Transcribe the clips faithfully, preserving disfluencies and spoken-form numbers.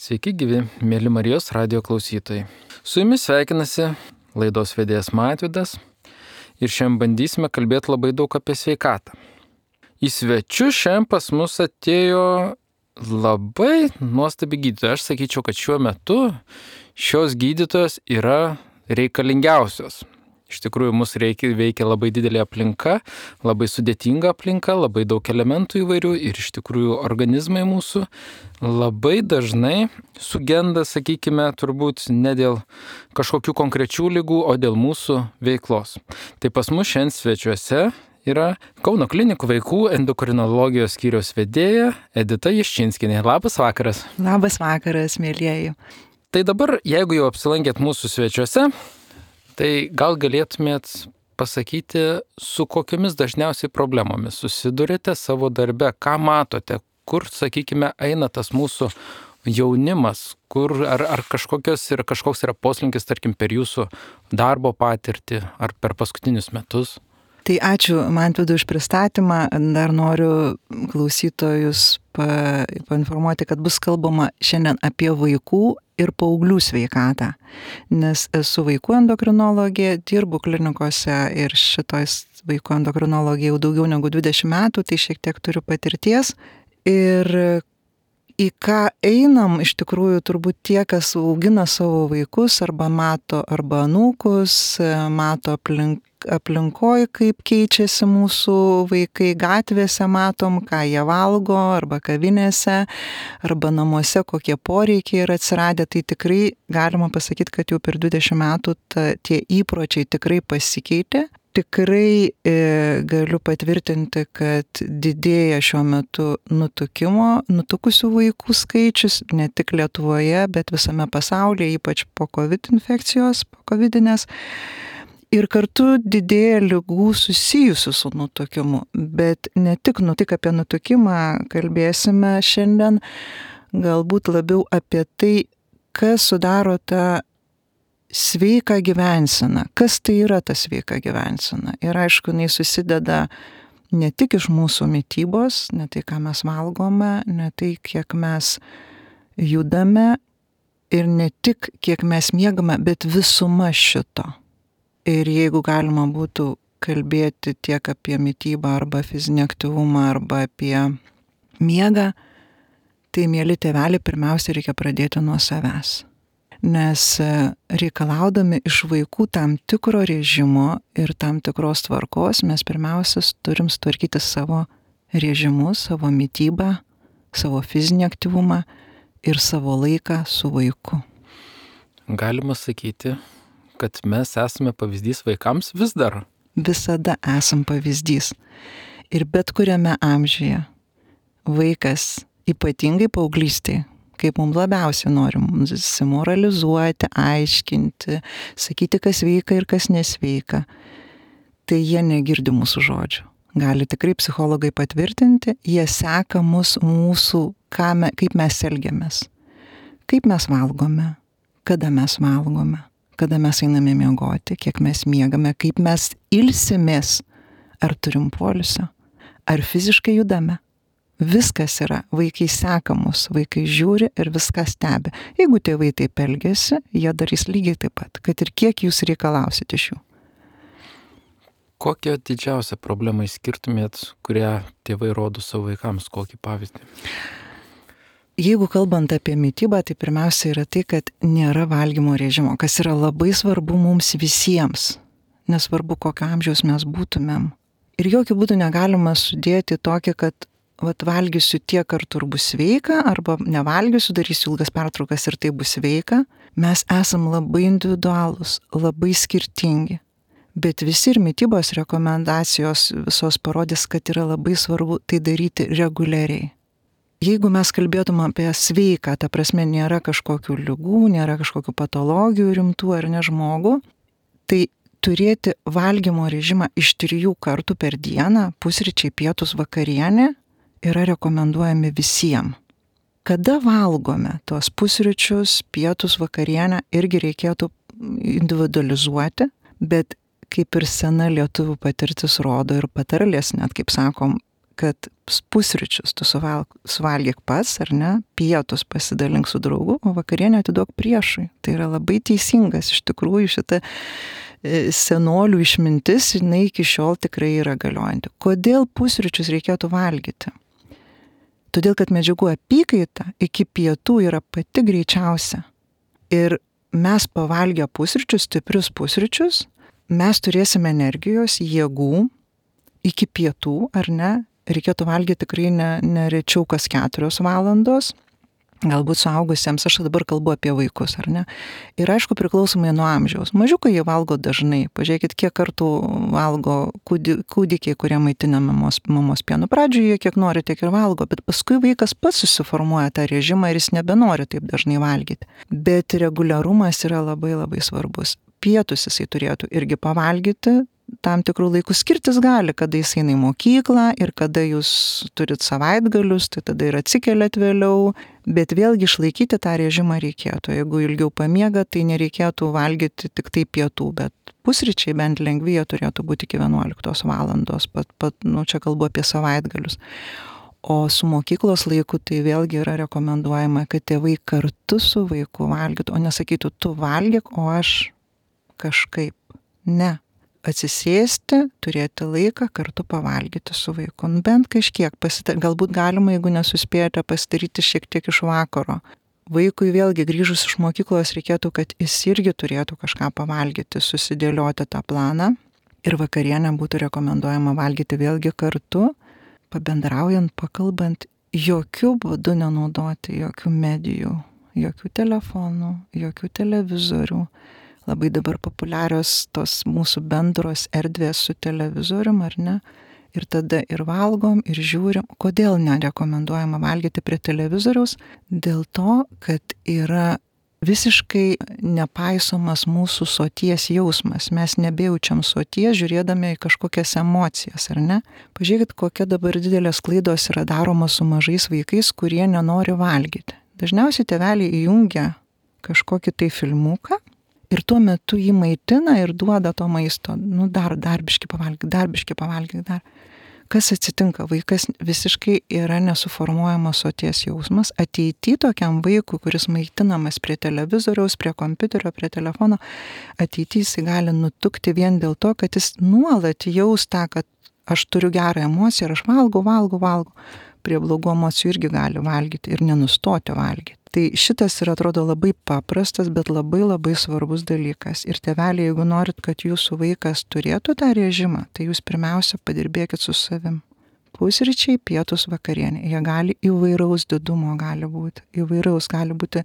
Sveiki gyvi, mėly Marijos radijo klausytojai. Su jumis sveikinasi laidos vedėjas Mažvydas ir šiandien bandysime kalbėti labai daug apie sveikatą. Į svečius šiandien pas mus atėjo labai nuostabi gydytoja. Aš sakyčiau, kad šiuo metu šios gydytojos yra reikalingiausios. Iš tikrųjų, mus reikia, veikia labai didelė aplinka, labai sudėtinga aplinka, labai daug elementų įvairių ir iš tikrųjų organizmai mūsų labai dažnai sugenda, sakykime, turbūt ne dėl kažkokių konkrečių ligų, o dėl mūsų veiklos. Tai pas mus šiandien svečiuose yra Kauno klinikų vaikų endokrinologijos skyriaus vedėja Edita Jaščinskienė. Labas vakaras. Labas vakaras, mėlyjeji. Tai dabar, jeigu jau apsilankėt mūsų svečiuose, tai gal galėtumėt pasakyti, su kokiamis dažniausiai problemomis susidurite savo darbe, ką matote, kur, sakykime, eina tas mūsų jaunimas, kur ar, ar kažkokios yra, kažkoks yra poslinkis, tarkim, per jūsų darbo patirtį ar per paskutinius metus? Tai ačiū Mažvydui už pristatymą. Dar noriu klausytojus pa, painformuoti, kad bus kalbama šiandien apie vaikų ir paauglių sveikatą. Nes esu vaikų endokrinologė, dirbu klinikose ir šitos vaikų endokrinologija jau daugiau negu dvidešimt metų, tai šiek tiek turiu patirties. Ir į ką einam, iš tikrųjų turbūt tie, kas augina savo vaikus arba mato arba anūkus, mato aplink aplinkoj, kaip keičiasi mūsų vaikai, gatvėse matom, ką jie valgo, arba kavinėse, arba namuose, kokie poreikiai yra atsiradę, tai tikrai galima pasakyti, kad jau per dvidešimt metų ta, tie įpročiai tikrai pasikeitė. Tikrai e, galiu patvirtinti, kad didėja šiuo metu nutukimo, nutukusių vaikų skaičius, ne tik Lietuvoje, bet visame pasaulyje, ypač po COVID infekcijos, po covidinės. Ir kartu didėja ligų susijusių su nutukimu, bet ne tik, nu, tik apie nutukimą kalbėsime šiandien, galbūt labiau apie tai, kas sudaro tą sveiką gyvenseną, kas tai yra ta sveika gyvensena. Ir aišku, jinai susideda ne tik iš mūsų mitybos, ne tai, ką mes valgome, ne tai, kiek mes judame ir ne tik, kiek mes miegame, bet visuma šito. Ir jeigu galima būtų kalbėti tiek apie mitybą arba fizinį aktyvumą arba apie miegą, tai mieli tėveliai, pirmiausia reikia pradėti nuo savęs. Nes reikalaudami iš vaikų tam tikro režimo ir tam tikros tvarkos, mes pirmiausia turim sutvarkyti savo režimus, savo mitybą, savo fizinį aktyvumą ir savo laiką su vaiku. Galima sakyti, kad mes esame pavyzdys vaikams vis dar. Visada esam pavyzdys. Ir bet kuriame amžiuje vaikas, ypatingai paauglystėje, kaip mums labiausiai norim moralizuoti, aiškinti, sakyti, kas sveika ir kas nesveika, tai jie negirdi mūsų žodžių. Gali tikrai psichologai patvirtinti, jie seka mus mūsų, ką me, kaip mes elgiamės, kaip mes valgome, kada mes valgome, kada mes einame miegoti, kiek mes miegame, kaip mes ilsimės, ar turim poilsio, ar fiziškai judame. Viskas yra, vaikai seka mus, vaikai žiūri ir viską stebi. Jeigu tėvai taip elgiasi, jie darys lygiai taip pat, kad ir kiek jūs reikalausit iš jų. Kokią didžiausią problemą išskirtumėt, kurią tėvai rodo savo vaikams, kokį pavyzdį? Jeigu kalbant apie mitybą, tai pirmiausia yra tai, kad nėra valgymo režimo, kas yra labai svarbu mums visiems, nesvarbu kokio amžiaus mes būtumėm. Ir jokių būdų negalima sudėti tokį, kad vat, valgysiu tiek kartų ir bus sveika, arba nevalgysiu, darysiu ilgas pertraukas ir tai bus sveika. Mes esam labai individualūs, labai skirtingi, bet visi ir mitybos rekomendacijos visos parodys, kad yra labai svarbu tai daryti reguliariai. Jeigu mes kalbėtume apie sveiką, ta prasme nėra kažkokių ligų, nėra kažkokių patologijų rimtų ar ne žmogų, tai turėti valgymo režimą iš trijų kartų per dieną, pusryčiai, pietus, vakarienė, yra rekomenduojami visiems. Kada valgome tuos pusryčius, pietus, vakarienę, irgi reikėtų individualizuoti, bet kaip ir sena lietuvių patirtis rodo ir patarlės, net kaip sakom, kad pusryčius tu suvalg, suvalgyk pats, ar ne, pietus pasidalink su draugu, o vakarienę atiduok priešui. Tai yra labai teisingas, iš tikrųjų šita senolių išmintis, jinai iki šiol tikrai yra galiojanti. Kodėl pusryčius reikėtų valgyti? Todėl, kad medžiagų apykaita iki pietų yra pati greičiausia. Ir mes pavalgę pusryčius, stiprius pusryčius, mes turėsime energijos, jėgų iki pietų, ar ne? Reikėtų valgyti tikrai ne, ne rečiau kas keturios valandos, galbūt suaugusiems, aš dabar kalbu apie vaikus, ar ne? Ir aišku, priklausomai nuo amžiaus. Mažiukai jie valgo dažnai. Pažiūrėkit, kiek kartų valgo kūdikiai, kurie maitina mamos, mamos pienu. Pradžioje jie kiek nori, tiek ir valgo, bet paskui vaikas pats susiformuoja tą režimą ir jis nebenori taip dažnai valgyti. Bet reguliarumas yra labai labai svarbus. Pietus jisai turėtų irgi pavalgyti, tam tikrų laikų skirtis gali, kada jis eina į mokyklą ir kada jūs turit savaitgalius, tai tada ir atsikeliat vėliau, bet vėlgi išlaikyti tą režimą reikėtų. Jeigu ilgiau pamiega, tai nereikėtų valgyti tik tai pietų, bet pusryčiai bent lengvi jie turėtų būti iki vienuoliktos valandos, pat, pat, nu, čia kalbu apie savaitgalius. O su mokyklos laiku tai vėlgi yra rekomenduojama, kad tėvai kartu su vaiku valgytų, o nesakytų, tu valgyk, o aš kažkaip. Ne. Atsisėsti, turėti laiką, kartu pavalgyti su vaiku. Nu, bent kažkiek, pasita... galbūt galima, jeigu nesuspėjote, pasidaryti šiek tiek iš vakaro. Vaikui vėlgi grįžus iš mokyklos reikėtų, kad jis irgi turėtų kažką pavalgyti, susidėlioti tą planą. Ir vakarienę būtų rekomenduojama valgyti vėlgi kartu, pabendraujant, pakalbant, jokių būdų nenaudoti jokių medijų, jokių telefonų, jokių televizorių. Labai dabar populiarios tos mūsų bendros erdvės su televizorium, ar ne? Ir tada ir valgom, ir žiūrim. Kodėl nerekomenduojama valgyti prie televizoriaus? Dėl to, kad yra visiškai nepaisomas mūsų soties jausmas. Mes nebejaučiam soties, žiūrėdami į kažkokias emocijas, ar ne? Pažiūrėkit, kokia dabar didelės klaidos yra daromos su mažais vaikais, kurie nenori valgyti. Dažniausiai tėveliai įjungia kažkokį tai filmuką, ir tuo metu jį maitina ir duoda to maisto. Nu, dar, dar biški pavalgyk, dar biški pavalgyk, dar. Kas atsitinka? Vaikas visiškai yra nesuformuojamas soties jausmas. Ateity tokiam vaikui, kuris maitinamas prie televizoriaus, prie kompiuterio, prie telefono, ateity jis gali nutukti vien dėl to, kad jis nuolat jaus tą, kad aš turiu gerą emociją ir aš valgau, valgau, valgau. Prie blogų emocijų irgi gali valgyti ir nenustoti valgyti. Tai šitas yra, atrodo, labai paprastas, bet labai labai svarbus dalykas. Ir tėveliai, jeigu norit, kad jūsų vaikas turėtų tą režimą, tai jūs pirmiausia padirbėkit su savim. Pusryčiai, pietus, vakarienė. Jie gali įvairaus didumo gali būti. Įvairaus gali būti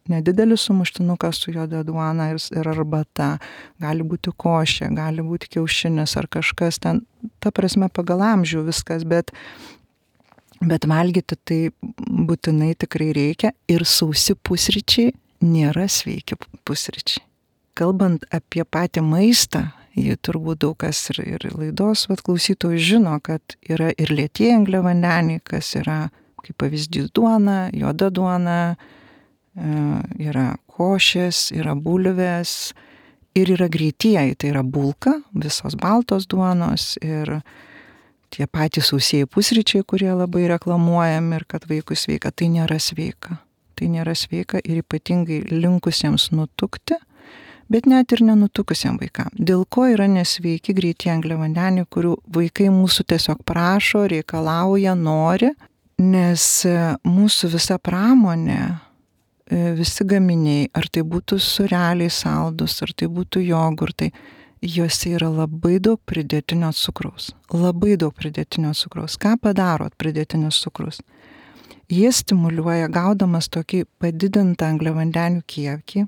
nedidelis sumuštinukas su juoda duona ir, ir arbata. Gali būti košė, gali būti kiaušinis ar kažkas ten. Ta prasme pagal amžių viskas, bet Bet valgyti tai būtinai tikrai reikia ir sausi pusryčiai nėra sveiki pusryčiai. Kalbant apie patį maistą, jį turbūt daug kas ir, ir laidos vat, klausytojų žino, kad yra ir lėtieji angliavandeniai, kas yra kaip pavyzdys duona, juoda duona, yra košės, yra bulvės ir yra greitieji, tai yra bulka, visos baltos duonos ir tie patys sausieji pusryčiai, kurie labai reklamuojami ir kad vaikui sveika, tai nėra sveika. Tai nėra sveika ir ypatingai linkusiems nutukti, bet net ir nenutukusiems vaikams. Dėl ko yra nesveiki greitieji angliavandeniai, kurių vaikai mūsų tiesiog prašo, reikalauja, nori, nes mūsų visa pramonė, visi gaminiai, ar tai būtų sūreliai saldus, ar tai būtų jogurtai, juose yra labai daug pridėtinio cukraus. Labai daug pridėtinio cukraus. Ką padaro pridėtinis cukrus? Jie stimuliuoja, gaudamas tokį padidintą angliavandenių kiekį.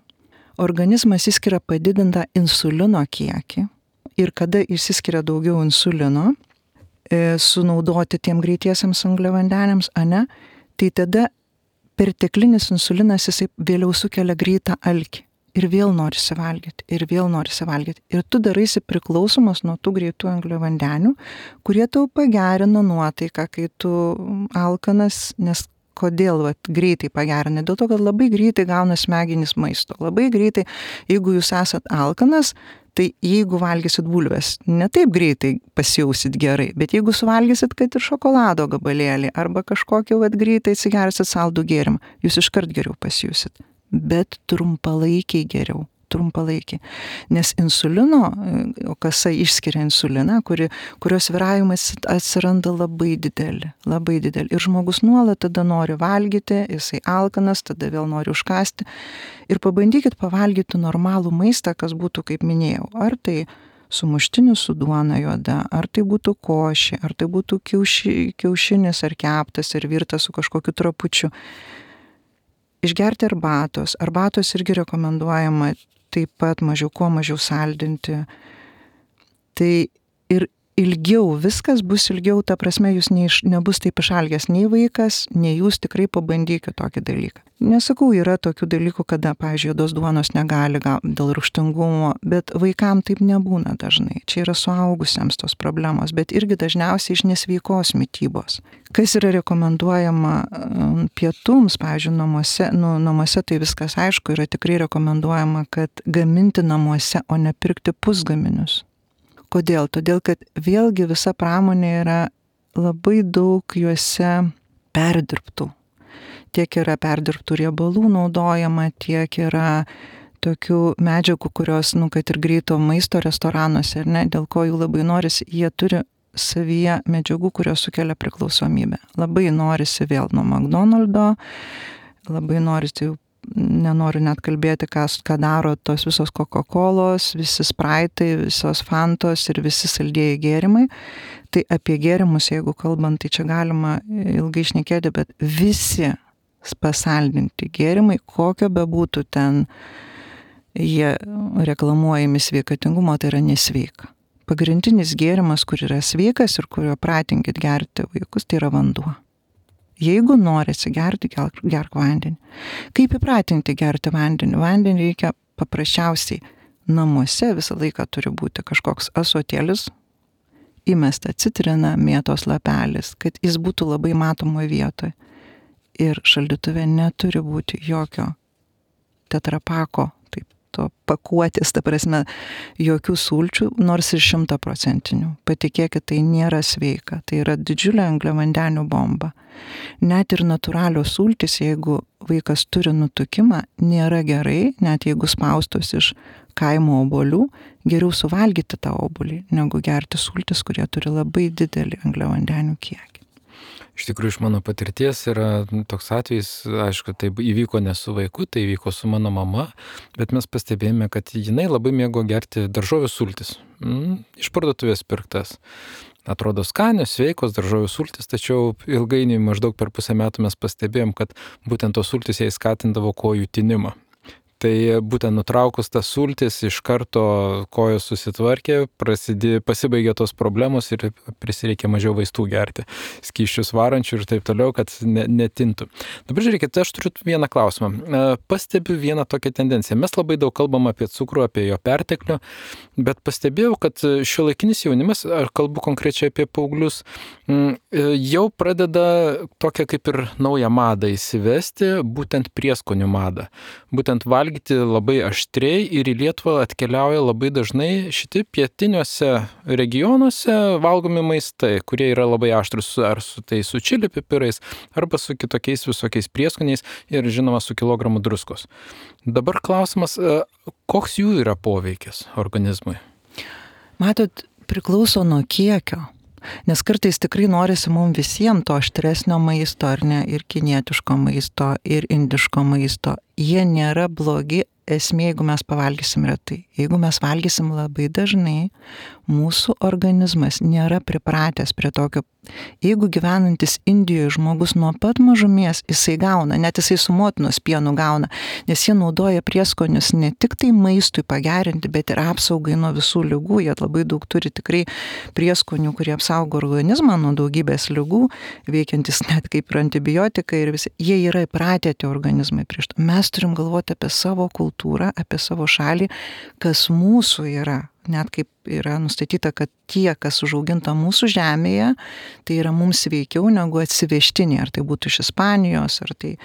Organizmas įskiria padidintą insulino kiekį. Ir kada išsiskiria daugiau insulino, e, sunaudoti tiem greitiesiams angliavandeniams, ane, tai tada perteklinis insulinas jisai vėliau sukelia greitą alkį. Ir vėl norisi valgyti, ir vėl norisi valgyti. Ir tu daraisi priklausomas nuo tų greitų angliavandenių, kurie tau pagerina nuotaiką, kai tu alkanas, nes kodėl vat, greitai pagerina? Dėl to, kad labai greitai gauna smegenys maisto. Labai greitai, jeigu jūs esat alkanas, Tai jeigu valgysit bulves, ne taip greitai pasijausit gerai, bet jeigu suvalgysit, kad ir šokolado gabalėlį arba kažkokį vat greitai atsigersit saldų gėrimą, jūs iškart geriau pasijusit, bet trumpalaikiai geriau. trumpalaikiai. Nes insulino, kasa išskiria insuliną, kuri, kurios sviravimas atsiranda labai didelį, labai didelį. Ir žmogus nuolat tada nori valgyti, jisai alkanas, tada vėl nori užkasti. Ir pabandykit pavalgyti normalų maistą, kas būtų, kaip minėjau, ar tai sumuštinis su duona juoda, ar tai būtų košė, ar tai būtų kiauši, kiaušinis ar keptas, ar virtas su kažkokiu trapučiu. Išgerti arbatos. Arbatos irgi rekomenduojama taip pat mažiau, kuo mažiau saldinti. Tai ir ilgiau, viskas bus ilgiau, ta prasme, jūs neiš, nebus taip išalgęs nei vaikas, nei jūs tikrai pabandykite tokį dalyką. Nesakau, yra tokių dalykų, kada, pavyzdžiui, juodos duonos negali gal, dėl rūgštingumo, bet vaikam taip nebūna dažnai. Čia yra suaugusiems tos problemos, bet irgi dažniausiai iš nesveikos mitybos. Kas yra rekomenduojama pietums, pavyzdžiui, namuose, nu, namuose tai viskas aišku, yra tikrai rekomenduojama, kad gaminti namuose, o ne pirkti pusgaminius. Kodėl? Todėl, kad vėlgi visa pramonė yra labai daug juose perdirbtų. Tiek yra perdirbtų riebalų naudojama, tiek yra tokių medžiagų, kurios, nu, kad ir greito maisto restoranuose, ar ne, dėl ko jų labai norisi, jie turi savyje medžiagų, kurios sukelia priklausomybę. Labai norisi vėl nuo McDonald'o, labai norisi, nenoriu net kalbėti, ką, ką daro tos visos Coca-Colos, visi Spraitai, visos Fantos ir visi saldieji gėrimai. Tai apie gėrimus, jeigu kalbant, tai čia galima ilgai šnekėti, bet visi pasaldinti gėrimai, kokio bebūtų ten jie reklamuojami sveikatingumo, tai yra nesveika. Pagrindinis gėrimas, kur yra sveikas ir kurio pratinkit gerti vaikus, tai yra vanduo. Jeigu norisi gerti, gerk, gerk vandenį. Kaip įpratinti gerti vandenį? Vandenį reikia paprasčiausiai namuose visą laiką turi būti kažkoks ąsotėlis, įmesta citrina, mėtos lapelis, kad jis būtų labai matomoje vietoje. Ir šaldytuve neturi būti jokio tetrapako, taip, to pakuotės, ta prasme, jokių sulčių, nors ir šimtaprocentinių. Patikėkit, tai nėra sveika, tai yra didžiulė angliavandenių bomba. Net ir natūralios sultys, jeigu vaikas turi nutukimą, nėra gerai, net jeigu spaustos iš kaimo obuolių, geriau suvalgyti tą obuolį, negu gerti sultis, kurie turi labai didelį angliavandenių kiekį. Iš tikrųjų, iš mano patirties yra toks atvejis, aišku, tai įvyko ne su vaiku, tai įvyko su mano mama, bet mes pastebėjome, kad jinai labai mėgo gerti daržovių sultis, mm, iš parduotuvės pirktas. Atrodo skanios, sveikos daržovių sultis, tačiau ilgainiui maždaug per pusę metų mes pastebėjom, kad būtent tos sultis jai skatindavo kojų tinimą. Tai būtent nutraukus tas sultis, iš karto kojos susitvarkė, prasidė, pasibaigė tos problemos ir prisireikė mažiau vaistų gerti, skysčius varančių ir taip toliau, kad ne, netintų. Dabar žiūrėkit, aš turiu vieną klausimą. Pastebiu vieną tokią tendenciją. Mes labai daug kalbam apie cukrų, apie jo perteklių, bet pastebėjau, kad šiuolaikinis jaunimas, ar kalbu konkrečiai apie paauglius, jau pradeda tokią kaip ir naują madą įsivesti, būtent prieskonių madą. Būtent valgyti labai aštriai ir į Lietuvą atkeliauja labai dažnai šitie pietiniuose regionuose valgomi maistai, kurie yra labai aštrus, ar su tai su čili pipirais, arba su kitokiais visokiais prieskoniais ir žinoma su kilogramu druskos. Dabar klausimas, koks jų yra poveikis organizmui? Matot, priklauso nuo kiekio. Nes kartais tikrai norisi mums visiems to aštresnio maisto, ar ne, ir kinietiško maisto, ir indiško maisto. Jie nėra blogi, esmė, jeigu mes pavalgysim retai. Jeigu mes valgysim labai dažnai, mūsų organizmas nėra pripratęs prie tokio. Jeigu gyvenantis Indijoje žmogus nuo pat mažumės, jisai gauna, net jisai su motinos pienu gauna, nes jie naudoja prieskonius ne tik tai maistui pagerinti, bet ir apsaugai nuo visų ligų. Jie labai daug turi tikrai prieskonių, kurie apsaugo organizmą nuo daugybės ligų, veikiantis net kaip ir antibiotikai ir visi. Jie yra įpratę tie organizmai prieš to. Mes turim galvoti apie savo kultūrą, apie savo šalį, kas mūsų yra. Net kaip yra nustatyta, kad tie, kas užauginta mūsų žemėje, tai yra mums sveikiau negu atsivežtiniai, ar tai būtų iš Ispanijos, ar tai,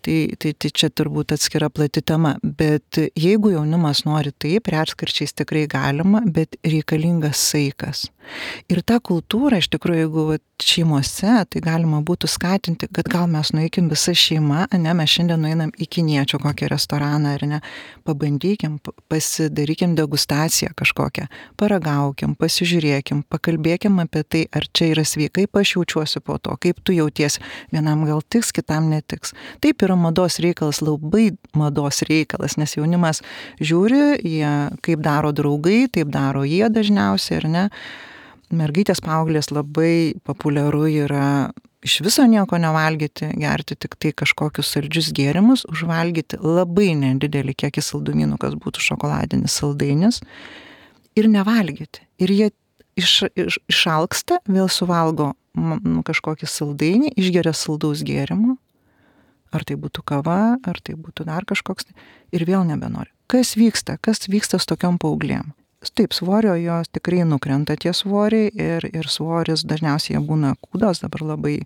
tai, tai, tai čia turbūt atskira plati tema. Bet jeigu jaunimas nori taip, retkarčiais tikrai galima, bet reikalingas saikas. Ir tą kultūrą, iš tikrųjų, jeigu vat, šeimose, tai galima būtų skatinti, kad gal mes nueikim visa šeima, ne, mes šiandien nueinam į kiniečio kokį restoraną, ar ne, pabandykim, pasidarykim degustaciją kažkokią, paragaukim, pasižiūrėkim, pakalbėkim apie tai, ar čia yra sveikai, kaip aš jaučiuosi po to, kaip tu jauties, vienam gal tiks, kitam netiks. Taip yra mados reikalas, labai mados reikalas, nes jaunimas žiūri, jie kaip daro draugai, taip daro jie dažniausiai, ar ne. Mergaitės paauglės labai populiaru yra iš viso nieko nevalgyti, gerti tik tai kažkokius saldžius gėrimus, užvalgyti labai nedidelį kiekį saldumynų, kas būtų šokoladinis saldainis, ir nevalgyti. Ir jie iš, iš, išalksta, vėl suvalgo nu, kažkokį saldainį, išgeria saldaus gėrimo, ar tai būtų kava, ar tai būtų dar kažkoks, ir vėl nebenori. Kas vyksta? Kas vyksta su tokiom paauglėm? Taip, svorio jos tikrai nukrenta tie svoriai ir, ir svoris dažniausiai jie būna kūdos, dabar labai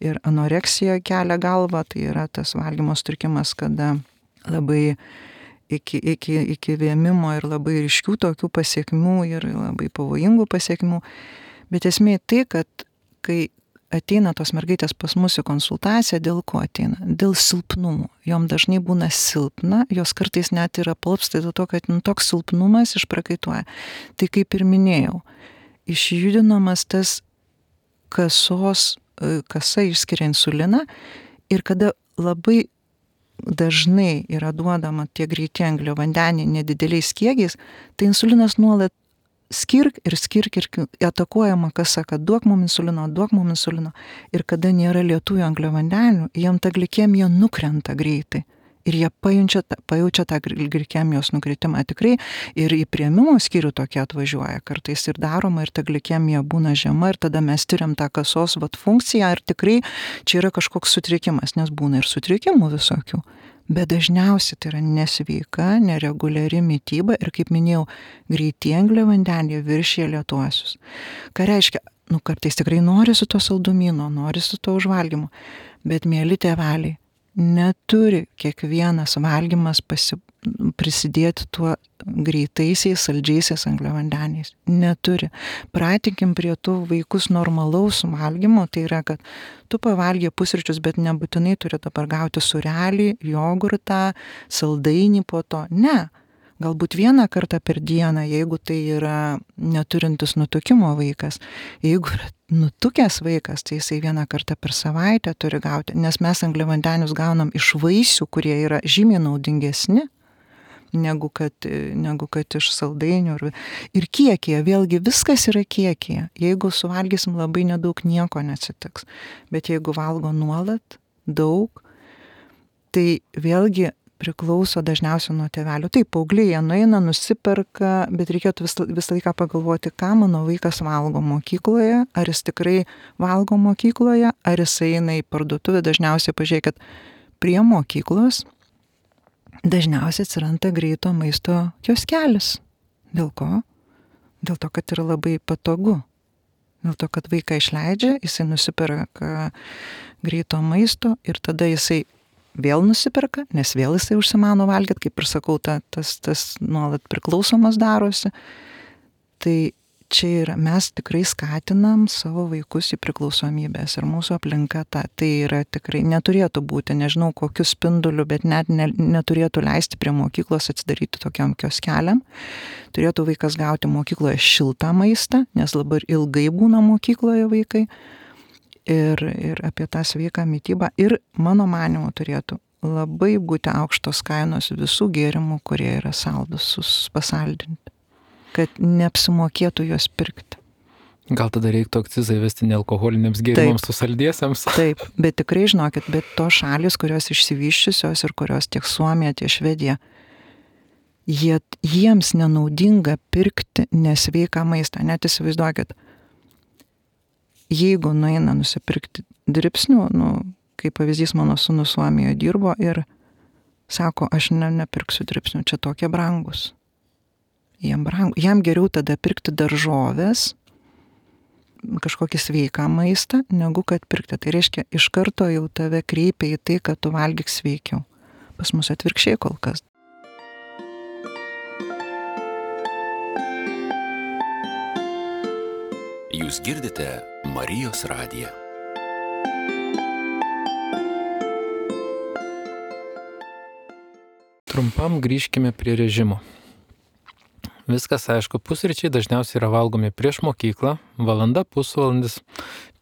ir anoreksija kelia galvą, tai yra tas valgymo sutrikimas, kada labai iki, iki, iki vėmimo ir labai ryškių tokių pasiekmių ir labai pavojingų pasiekmių. Bet esmė tai, kad kai ateina tos mergaitės pas mus į konsultaciją, dėl ko ateina? Dėl silpnumų. Jom dažnai būna silpna, jos kartais net yra palpsta dėl to, kad nu, toks silpnumas išprakaituoja. Tai kaip ir minėjau, išjudinamas tas kasos, kasa išskiria insuliną ir kada labai dažnai yra duodama tie greiti angliavandeniai nedideliais kiekiais, tai insulinas nuolat skirk ir skirk ir atakuojama kasa, kad duok mum insulino, duok mum insulino. Ir kada nėra lietųjų angliavandenių, jiem ta glikemija nukrenta greitai. Ir jie pajunčia, pajaučia tą glikemijos nukritimą tikrai. Ir į priėmimo skyrių tokie atvažiuoja. Kartais ir daroma, ir ta glikemija būna žema, ir tada mes tyriam tą kasos vat, funkciją. Ir tikrai čia yra kažkoks sutrikimas, nes būna ir sutrikimų visokių. Bet dažniausiai tai yra nesveika, nereguliari mityba ir, kaip minėjau, greiti angliavandeniai viršija lėtuosius. Ką reiškia, nu kartais tikrai norisi to saldumyno, norisi to užvalgymo, bet mieli tėveliai, neturi kiekvienas valgymas pasi, prisidėti tuo greitaisiais, saldžiaisiais angliavandeniais. Neturi. Pratinkim prie tų vaikus normalaus valgymo, tai yra, kad tu pavalgė pusryčius, bet nebūtinai turi dabar gauti sūrelį, jogurtą, saldainį po to. Ne. Galbūt vieną kartą per dieną, jeigu tai yra neturintis nutukimo vaikas. Jeigu yra nutukęs vaikas, tai jisai vieną kartą per savaitę turi gauti, nes mes angliavandenius gaunam iš vaisių, kurie yra žymiai naudingesni, negu kad, negu kad iš saldainių. Ir, ir kiekyje, vėlgi viskas yra kiekyje. Jeigu suvalgysim labai nedaug, nieko neatsitiks. Bet jeigu valgo nuolat, daug, tai vėlgi priklauso dažniausiai nuo tėvelių. Taip, paaugliai, jie nueina, nusiperka, bet reikėtų vis, visą laiką pagalvoti, ką mano vaikas valgo mokykloje, ar jis tikrai valgo mokykloje, ar jis eina į parduotuvę. Dažniausiai pažiūrėkit, prie mokyklos dažniausiai atsiranda greito maisto kioskelis. Dėl ko? Dėl to, kad yra labai patogu. Dėl to, kad vaiką išleidžia, jisai nusiperka greito maisto ir tada jisai vėl nusiperka, nes vėl jisai užsimano valgyti, kaip ir sakau, ta, tas, tas nuolat priklausomas darosi. Tai čia yra, mes tikrai skatinam savo vaikus į priklausomybės ir mūsų aplinka ta, tai yra tikrai, neturėtų būti, nežinau kokiu spinduliu, bet net ne, neturėtų leisti prie mokyklos atsidaryti tokiam kioskeliam. Turėtų vaikas gauti mokykloje šiltą maistą, nes labai ilgai būna mokykloje vaikai. Ir, ir apie tą sveiką mitybą. Ir mano manymu turėtų labai būti aukštos kainos visų gėrimų, kurie yra saldus, pasaldinti, kad neapsimokėtų juos pirkti. Gal tada reiktų akcizą įvesti nealkoholiniams gėrimams, su saldiesiams? Taip, bet tikrai žinokit, bet tos šalis, kurios išsivyščiusios ir kurios tiek Suomija, tiek Švedija, jie, jiems nenaudinga pirkti nesveiką maistą. Net įsivaizduokit, jeigu nueina nusipirkti dribsnių, nu, kaip pavyzdys, mano sūnus Suomijoje dirbo ir sako, aš ne, nepirksiu dribsnių, čia tokie brangus. Jam, brangu. Jam geriau tada pirkti daržovės, kažkokį sveiką maistą, negu kad pirkti. Tai reiškia, iš karto jau tave kreipia į tai, kad tu valgyk sveikiau. Pas mus atvirkščiai kol kas. Jūs girdite Marijos radiją. Trumpam grįžkime prie režimo. Viskas aišku, pusryčiai dažniausiai yra valgomi prieš mokyklą, valanda, pusvalandis,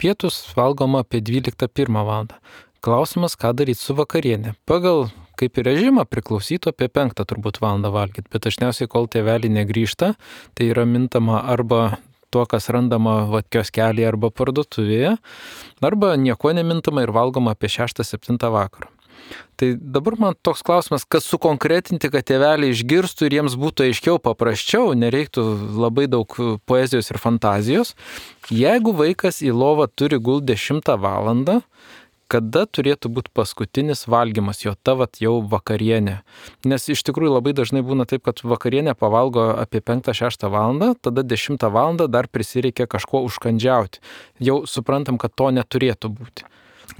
pietus valgoma apie dvyliktą pirmą valandą. Klausimas, ką daryti su vakarienė. Pagal kaip ir režimą priklausytų apie penktą turbūt valandą valgyti, bet dažniausiai, kol tėveliai negrįžta, tai yra mintama arba tuo, kas randama va, kioskelėje arba parduotuvėje, arba nieko nemintama ir valgoma apie šeštą septintą vakaro. Tai dabar man toks klausimas, kad sukonkretinti, kad tėveliai išgirstų ir jiems būtų aiškiau, paprasčiau, nereiktų labai daug poezijos ir fantazijos. Jeigu vaikas į lovą turi gult dešimtą valandą, kada turėtų būti paskutinis valgymas, jo ta vat jau vakarienė. Nes iš tikrųjų labai dažnai būna taip, kad vakarienė pavalgo apie penktą šeštą valandą, tada dešimtą valandą dar prisireikia kažko užkandžiauti. Jau suprantam, kad to neturėtų būti.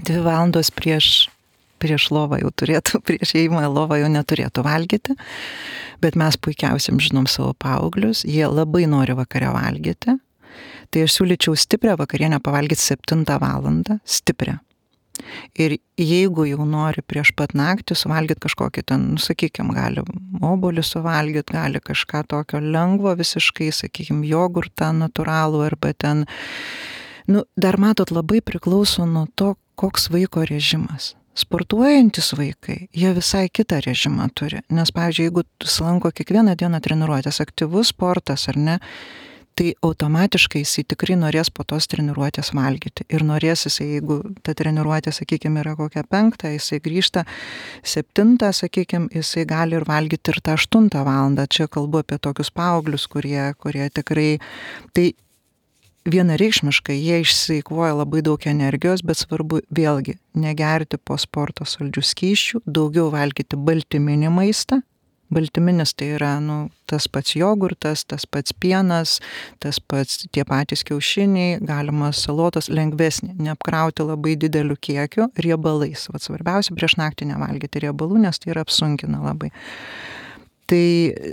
Dvi valandos prieš, prieš lovą jau turėtų, prieš ėjimą į lovą jau neturėtų valgyti, bet mes puikiausiai žinom savo paauglius, jie labai nori vakare valgyti, tai aš siūlyčiau stiprią vakarienę pavalgyti septintą valandą, stiprią. Ir jeigu jau nori prieš pat naktį suvalgyti kažkokį ten, nu, sakykime, gali obuolį suvalgyti, gali kažką tokio lengvo visiškai, sakykime, jogurtą natūralų arba ten, nu, dar matot, labai priklauso nuo to, koks vaiko režimas. Sportuojantis vaikai, jie visai kitą režimą turi, nes, pavyzdžiui, jeigu sulanko kiekvieną dieną treniruotės, aktyvus sportas ar ne, tai automatiškai jisai tikrai norės po tos treniruotės valgyti. Ir norės jisai, jeigu ta treniruotė, sakykime, yra kokia penktą, jisai grįžta septintą, sakykime, jisai gali ir valgyti ir tą aštuntą valandą. Čia kalbu apie tokius paauglius, kurie, kurie tikrai, tai vienareikšmiškai jie išsieikvoja labai daug energijos, bet svarbu vėlgi negerti po sporto saldžių skysčių, daugiau valgyti baltyminį maistą. Baltyminis tai yra, nu, tas pats jogurtas, tas pats pienas, tas pats tie patys kiaušiniai, galima salotos lengvesnį, neapkrauti labai dideliu kiekiu riebalais. Vat svarbiausia prieš naktį nevalgyti riebalų, nes tai yra apsunkina labai. Tai,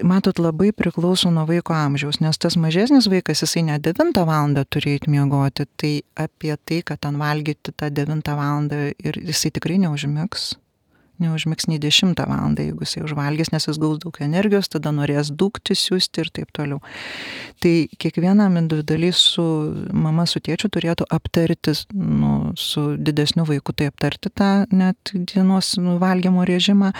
matot, labai priklauso nuo vaiko amžiaus, nes tas mažesnis vaikas, jisai ne devintą valandą turi eiti miegoti, tai apie tai, kad ten valgyti tą devintą valandą ir jisai tikrai neužmigs. neužmigs nei dešimtą valandą, jeigu jisai užvalgys, nes jis gaus daug energijos, tada norės dūkti, siūsti ir taip toliau. Tai kiekvienam individualiai su mama, su tėčiu turėtų aptarti, nu, su didesniu vaiku, tai aptarti tą net dienos valgymo režimą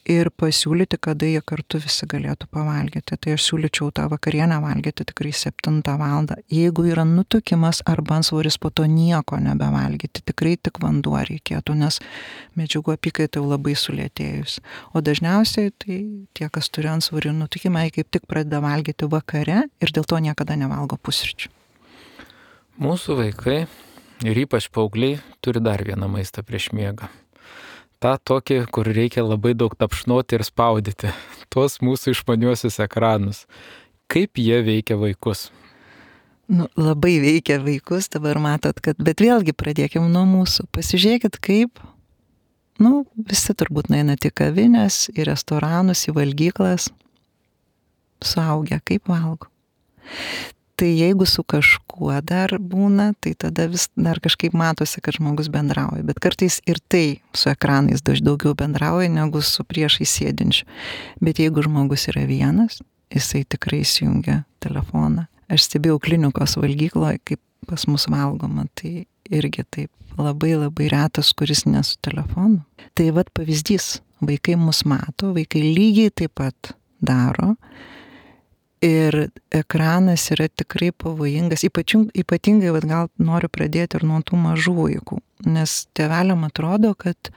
ir pasiūlyti, kada jie kartu visi galėtų pavalgyti. Tai aš siūlyčiau tą vakarienę valgyti tikrai septintą valandą. Jeigu yra nutukimas arba antsvoris, po to nieko nebevalgyti. Tikrai tik vanduo reikėtų, nes medžiagų apykaita jau labai sulėtėjus. O dažniausiai tai tie, kas turi antsvorį ir nutukimą, jie kaip tik pradeda valgyti vakare ir dėl to niekada nevalgo pusryčių. Mūsų vaikai ir ypač paaugliai turi dar vieną maistą prieš miegą. Ta tokį, kur reikia labai daug tapšnoti ir spaudyti. Tuos mūsų išmaniuosius ekranus. Kaip jie veikia vaikus? Nu, labai veikia vaikus, dabar matot, kad, bet vėlgi pradėkim nuo mūsų. Pasižiūrėkit, kaip, nu, visi turbūt nueina į kavinės, į restoranus, į valgyklas, suaugę, kaip valgo. Tai jeigu su kažkuo dar būna, tai tada vis dar kažkaip matosi, kad žmogus bendrauja. Bet kartais ir tai su ekranais daug daugiau bendrauja, negu su priešai sėdinčiu. Bet jeigu žmogus yra vienas, jisai tikrai įsijungia telefoną. Aš stebėjau klinikos valgykloje, kaip pas mus valgoma, tai irgi taip labai labai retas, kuris ne su telefonu. Tai vat pavyzdys, vaikai mus mato, vaikai lygiai taip pat daro. Ir ekranas yra tikrai pavojingas, ypatingai, ypatingai vat, gal noriu pradėti ir nuo tų mažų vaikų, nes tėveliam atrodo, kad,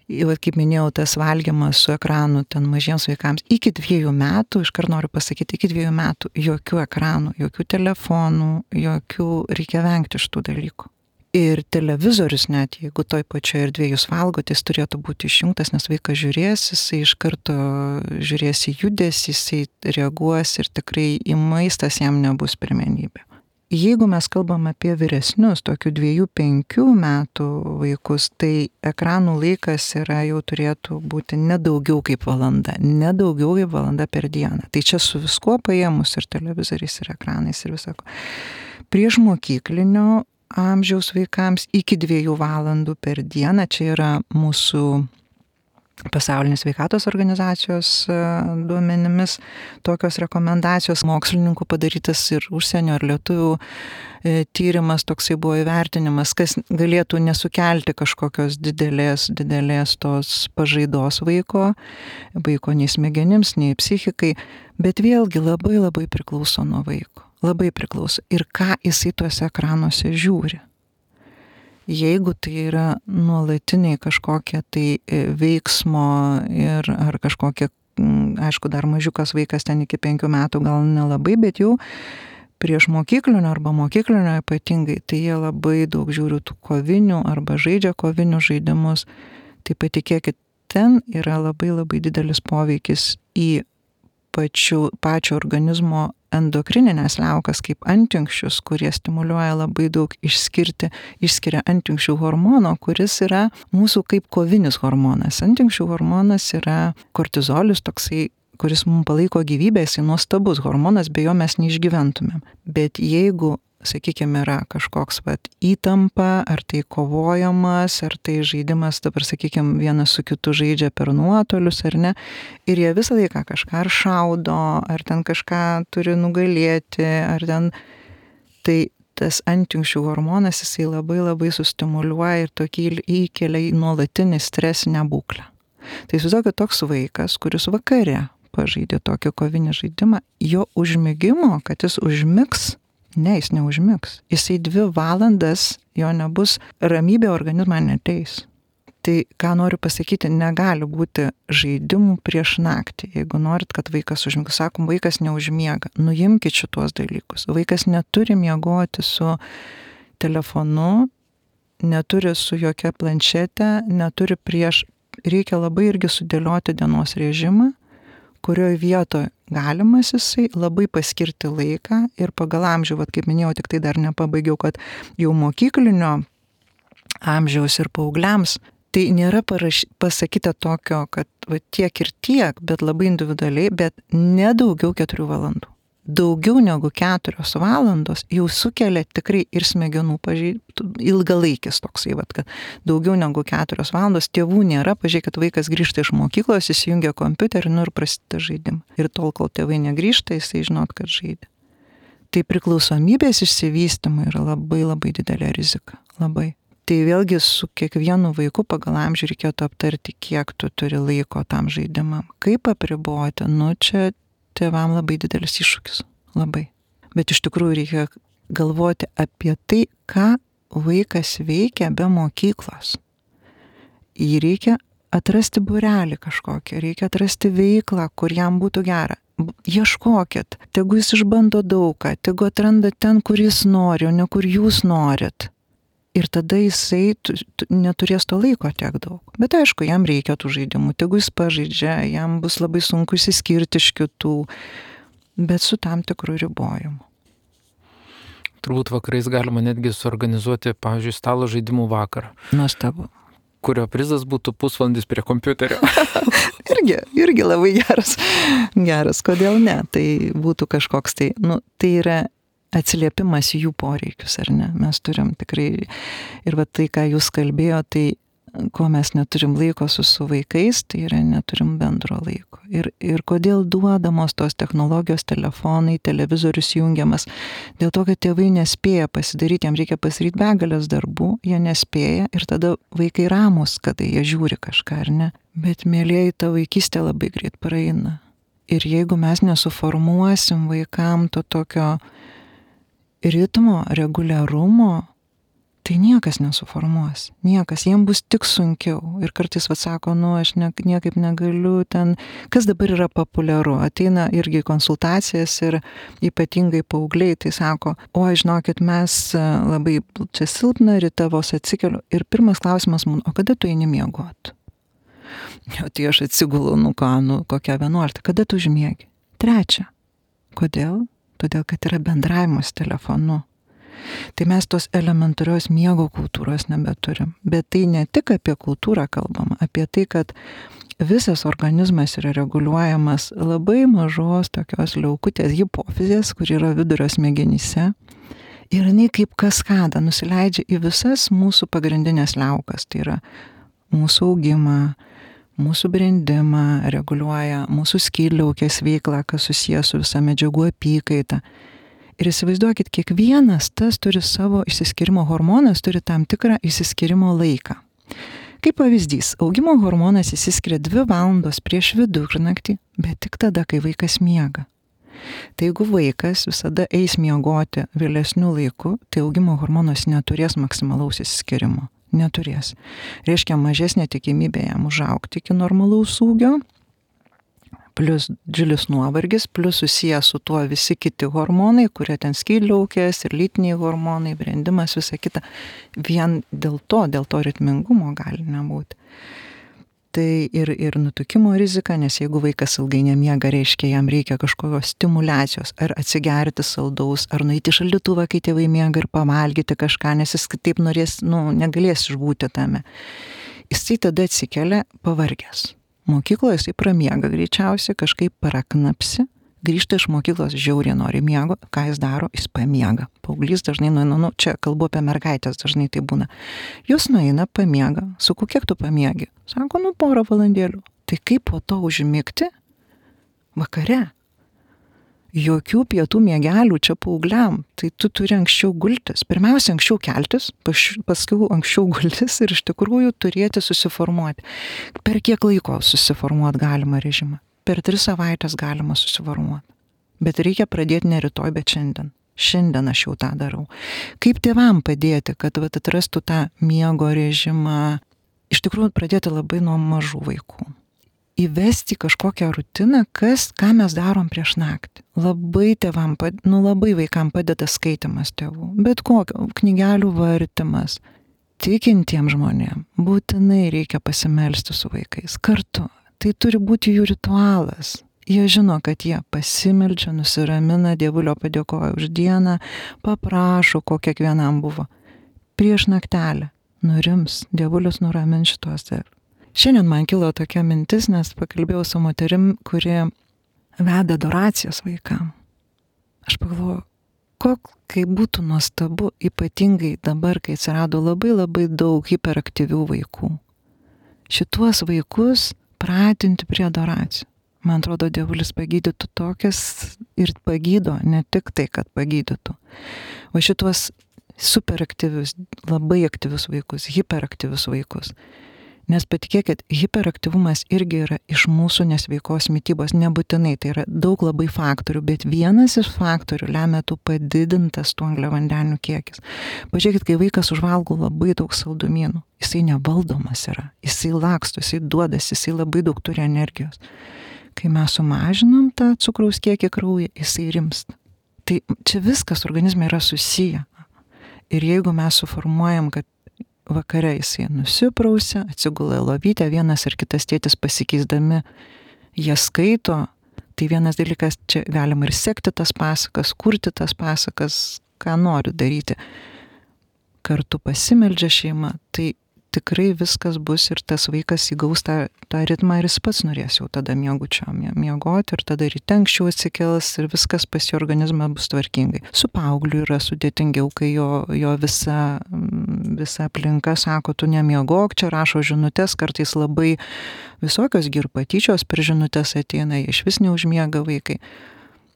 vat, kaip minėjau, tas valgymas su ekranu ten mažiems vaikams iki dviejų metų, iškart noriu pasakyti, iki dviejų metų jokių ekranų, jokių telefonų, jokių, reikia vengti šitų dalykų. Ir televizorius net, jeigu toj pačioje erdvėje jūs valgote, jis turėtų būti išjungtas, nes vaikas žiūrės, jisai iš karto žiūrės į judesį, jisai reaguos ir tikrai į maistas jam nebus pirmenybė. Jeigu mes kalbam apie vyresnius, tokių dviejų, penkių metų vaikus, tai ekranų laikas yra jau turėtų būti nedaugiau kaip valanda, nedaugiau kaip valanda per dieną. Tai čia su viskuo paėmus ir televizoriais, ir ekranais, ir visako. Prieš mokyklinio amžiaus vaikams iki dviejų valandų per dieną, čia yra mūsų Pasaulinės sveikatos organizacijos duomenimis tokios rekomendacijos, mokslininkų padarytas ir užsienio ir lietuvių tyrimas, toksai buvo įvertinimas, kas galėtų nesukelti kažkokios didelės, didelės tos pažaidos vaiko, vaiko nei smegenims, nei psichikai, bet vėlgi labai labai priklauso nuo vaiko, labai priklauso ir ką jisai tuose ekranuose žiūri. Jeigu tai yra nuolatiniai kažkokie tai veiksmo ir ar kažkokie, aišku, dar mažiukas vaikas ten iki penkių metų gal nelabai, bet jau prieš mokyklinio arba mokyklinio ypatingai, tai jie labai daug žiūri tų kovinių arba žaidžia kovinius žaidimus. Tai patikėkit, ten yra labai labai didelis poveikis į pačių, pačio organizmo endokrininės liaukas kaip antinksčius, kurie stimuliuoja labai daug išskirti, išskiria antinksčių hormono, kuris yra mūsų kaip kovinis hormonas. Antinksčių hormonas yra kortizolis toksai, kuris mums palaiko gyvybę, jisai nuostabus hormonas, be jo mes neišgyventumėm. Bet jeigu, sakykime, yra kažkoks vat, įtampa, ar tai kovojamas, ar tai žaidimas, dabar, sakykime, vienas su kitu žaidžia per nuotolius, ar ne, ir jie visą laiką kažką ar šaudo, ar ten kažką turi nugalėti, ar ten, tai tas antinksčių hormonas, jisai labai labai sustimuliuoja ir tokį įkelia į nuolatinį stresinę būklę. Tai įsivaizduokit, toks vaikas, kuris vakare pažaidė tokį kovinį žaidimą, jo užmigimo, kad jis užmigs, ne, jis neužmigs. Jisai dvi valandas, jo nebus, ramybė organizmą neteis. Tai, ką noriu pasakyti, negali būti žaidimų prieš naktį. Jeigu norit, kad vaikas užmigtų, sakom, vaikas neužmiega, nuimkit šitos dalykus. Vaikas neturi miegoti su telefonu, neturi su jokia planšete, neturi prieš, reikia labai irgi sudėlioti dienos režimą, kurioje vietoje galimas jisai labai paskirti laiką ir pagal amžių, vat, kaip minėjau, tik tai dar nepabaigiau, kad jau mokyklinio amžiaus ir paaugliams, tai nėra paraš, pasakyta tokio, kad va, tiek ir tiek, bet labai individualiai, bet ne daugiau keturių valandų. Daugiau negu keturios valandos jau sukelia tikrai ir smegenų pažeidimų, ilgalaikis toksai, vat, kad daugiau negu keturios valandos tėvų nėra, pažiūrėkit, vaikas grįžta iš mokyklos, įsijungia kompiuterį, nu ir prasideda žaidimą. Ir tol, kol tėvai negrįžta, jisai žinot, kad žaidė. Tai priklausomybės išsivystymui yra labai labai didelė rizika. Labai. Tai vėlgi su kiekvienu vaiku pagal amžių reikėtų aptarti, kiek tu turi laiko tam žaidimam. Kaip apriboti, nu čia tėvam labai didelis iššūkis. Labai. Bet iš tikrųjų reikia galvoti apie tai, ką vaikas veikia be mokyklos. Jį reikia atrasti būrelį kažkokį, reikia atrasti veiklą, kur jam būtų gera. Ieškokit, tegu jis išbando daugą, tegu atranda ten, kur jis nori, o ne kur jūs norit. Ir tada jisai neturės to laiko tiek daug. Bet aišku, jam reikia tų žaidimų, tegu jis pažaidžia, jam bus labai sunku išsiskirti iš kitų, bet su tam tikru ribojimu. Turbūt vakarais galima netgi suorganizuoti, pavyzdžiui, stalo žaidimų vakarą. Nuostabu. Kurio prizas būtų pusvalandis prie kompiuterio. irgi, irgi labai geras. Geras, kodėl ne? Tai būtų kažkoks tai, nu, tai yra atsiliepimas į jų poreikius, ar ne? Mes turim tikrai, ir va tai, ką jūs kalbėjo, tai ko mes neturim laiko su, su vaikais, tai yra neturim bendro laiko. Ir, ir kodėl duodamos tos technologijos, telefonai, televizorius jungiamas? Dėl to, kad tėvai nespėja pasidaryti, jam reikia pasidaryti begalės darbų, jie nespėja ir tada vaikai ramus, kada jie žiūri kažką, ar ne? Bet mėlieji, ta vaikystė labai greit praeina. Ir jeigu mes nesuformuosim vaikam to tokio ritmo, reguliarumo, tai niekas nesuformuos, niekas, jiem bus tik sunkiau. Ir kartais vat sako, nu, aš ne, niekaip negaliu ten, kas dabar yra populiaru, ateina irgi konsultacijas ir ypatingai paaugliai, tai sako, oi, žinokit, mes labai čia silpna, ryte vos atsikeliu. Ir pirmas klausimas man, o kada tu eini miegot? Jo, tai aš atsigulu, nu ką, nu kokia vienuolikta, kada tu užmiegi? Trečia. Kodėl? Todėl, kad yra bendravimas telefonu. Tai mes tos elementarios miego kultūros nebeturim. Bet tai ne tik apie kultūrą kalbama, apie tai, kad visas organizmas yra reguliuojamas labai mažos tokios liaukutės hipofizės, kur yra vidurio smegenyse. Ir jinai kaip kaskada nusileidžia į visas mūsų pagrindinės liaukas. Tai yra mūsų augimą, mūsų brendimą, reguliuoja mūsų skydliaukės veiklą, kas susijęs su visa medžiagų apykaita. Ir įsivaizduokit, kiekvienas tas turi savo išsiskyrimo hormonas, turi tam tikrą išsiskyrimo laiką. Kaip pavyzdys, augimo hormonas išsiskiria dvi valandos prieš vidurnaktį, bet tik tada, kai vaikas miega. Tai jeigu vaikas visada eis miegoti vėlesniu laiku, tai augimo hormonas neturės maksimalaus išsiskyrimo. Neturės. Reiškia mažesnė tikimybė jam užaugti iki normalaus ūgio, plus didžiulis nuovargis, plus susijęs su tuo visi kiti hormonai, kurie ten skydliaukės ir lytiniai hormonai, brendimas, visa kita. Vien dėl to, dėl to ritmingumo gali nebūti. Tai ir, ir nutukimo rizika, nes jeigu vaikas ilgai nemiega, reiškia, jam reikia kažkokios stimulacijos, ar atsigerti saldaus, ar nueiti šaldytuvą, kai tėvai miega, ir pavalgyti kažką, nes jis kitaip norės, nu, negalės išbūti tame. Jisai tada atsikelia pavargęs. Mokykloje jisai pramiega greičiausiai, kažkaip paraknapsi, grįžta iš mokyklos, žiauriai nori miego, ką jis daro, jis pamiega. Paauglys dažnai nueina, nu, čia kalbu apie mergaitės, dažnai tai būna. Jūs nueina, pamiega, sakau, kiek tu pamiegi? Sako, nu, porą valandėlių. Tai kaip po to užmigti? Vakare. Jokių pietų miegelių čia paaugliam, tai tu turi anksčiau gultis. Pirmiausia, anksčiau keltis, paskui anksčiau gultis ir iš tikrųjų turėti susiformuoti. Per kiek laiko susiformuoti galima režimą? Per tris savaitės galima susiformuoti. Bet reikia pradėti ne rytoj, bet šiandien. Šiandien aš jau tą darau. Kaip tėvam padėti, kad vat, atrastų tą miego režimą? Iš tikrųjų pradėti labai nuo mažų vaikų. Įvesti kažkokią rutiną, kas, ką mes darom prieš naktį. Labai tėvam, nu labai vaikam padeda skaitimas tėvų, bet kokio, knygelių vartymas. Tikintiems žmonėms būtinai reikia pasimelsti su vaikais kartu. Tai turi būti jų ritualas. Jie žino, kad jie pasimeldžia, nusiramina, Dievulio padėkoja už dieną, paprašo, ko kiekvienam buvo. Prieš naktelę nurims, Dievulis nuramins šitos dar. Šiandien man kilo tokia mintis, nes pakalbėjau su moterim, kuri veda adoracijas vaikam. Aš pagalvoju, kok, kaip būtų nuostabu, ypatingai dabar, kai atsirado labai labai daug hiperaktyvių vaikų. Šituos vaikus pratinti prie adoracijų. Man atrodo, Dievulis pagydytų tokias ir pagydo, ne tik tai, kad pagydytų. O šituos superaktyvius, labai aktyvius vaikus, hiperaktyvius vaikus. Nes patikėkit, hiperaktyvumas irgi yra iš mūsų nesveikos mitybos, nebūtinai, tai yra daug labai faktorių, bet vienas iš faktorių lemia tų padidintas tų angliavandenių kiekis. Pažiūrėkit, kai vaikas užvalgo labai daug saldumynų, jisai nevaldomas yra, jisai laksto, jisai duodas, jisai labai daug turi energijos. Kai mes sumažinam tą cukraus kiekį kraujyje, jisai rimsta. Tai čia viskas organizme yra susiję. Ir jeigu mes suformuojam, kad vakare jisai nusiprausia, atsigula į lovytę, vienas ir kitas tėtis pasikeisdami, jie skaito, tai vienas dalykas, čia galima ir sekti tas pasakas, kurti tas pasakas, ką nori daryti. Kartu pasimeldžia šeima, tai tikrai viskas bus ir tas vaikas įgaus tą, tą ritmą ir jis pats norės jau tada miegučio miegoti ir tada ryte anksčiau atsikels ir viskas pas jo organizmą bus tvarkingai. Su paaugliu yra sudėtingiau, kai jo, jo visa, visa aplinka sako, tu nemiegok, čia rašo žinutės, kartais labai visokios girpatyčios per žinutės ateina, iš vis neužmiega vaikai.